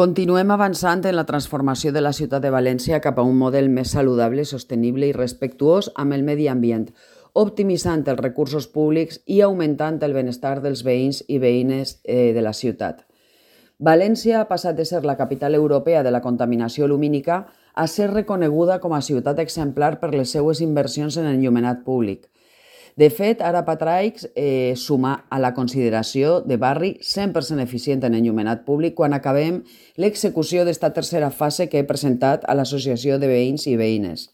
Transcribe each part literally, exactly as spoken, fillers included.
Continuem avançant en la transformació de la ciutat de València cap a un model més saludable, sostenible i respectuós amb el medi ambient, optimitzant els recursos públics i augmentant el benestar dels veïns i veïnes eh, de la ciutat. València ha passat de ser la capital europea de la contaminació lumínica a ser reconeguda com a ciutat exemplar per les seues inversions en enllumenat públic. De fet, ara Patraix eh, suma a la consideració de barri cent per cent eficient en enllumenat públic quan acabem l'execució d'esta tercera fase que he presentat a l'Associació de Veïns i Veïnes.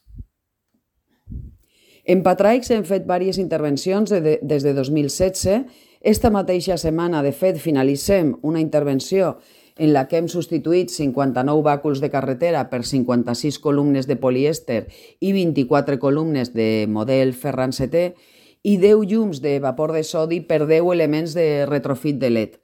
En Patraix hem fet diverses intervencions de, de, des de dos mil setze. Esta mateixa setmana, de fet, finalitzem una intervenció en la que hem substituït cinquanta-nou bàculs de carretera per cinquanta-sis columnes de polièster i vint-i-quatre columnes de model Ferran setè i deu llums de vapor de sodi per deu elements de retrofit de L E D.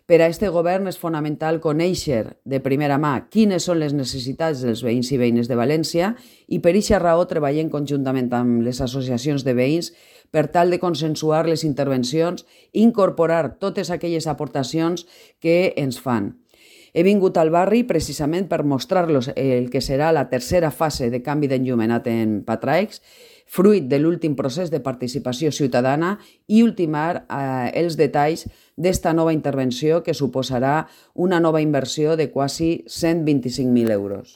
Per a aquest govern és fonamental conèixer de primera mà quines són les necessitats dels veïns i veïnes de València i per aquesta raó treballem conjuntament amb les associacions de veïns per tal de consensuar les intervencions i incorporar totes aquelles aportacions que ens fan. He vingut al barri precisament per mostrar-los el que serà la tercera fase de canvi d'enllumenat en Patraix, fruit de l'últim procés de participació ciutadana i ultimar eh, els detalls d'esta nova intervenció que suposarà una nova inversió de quasi cent vint-i-cinc mil euros.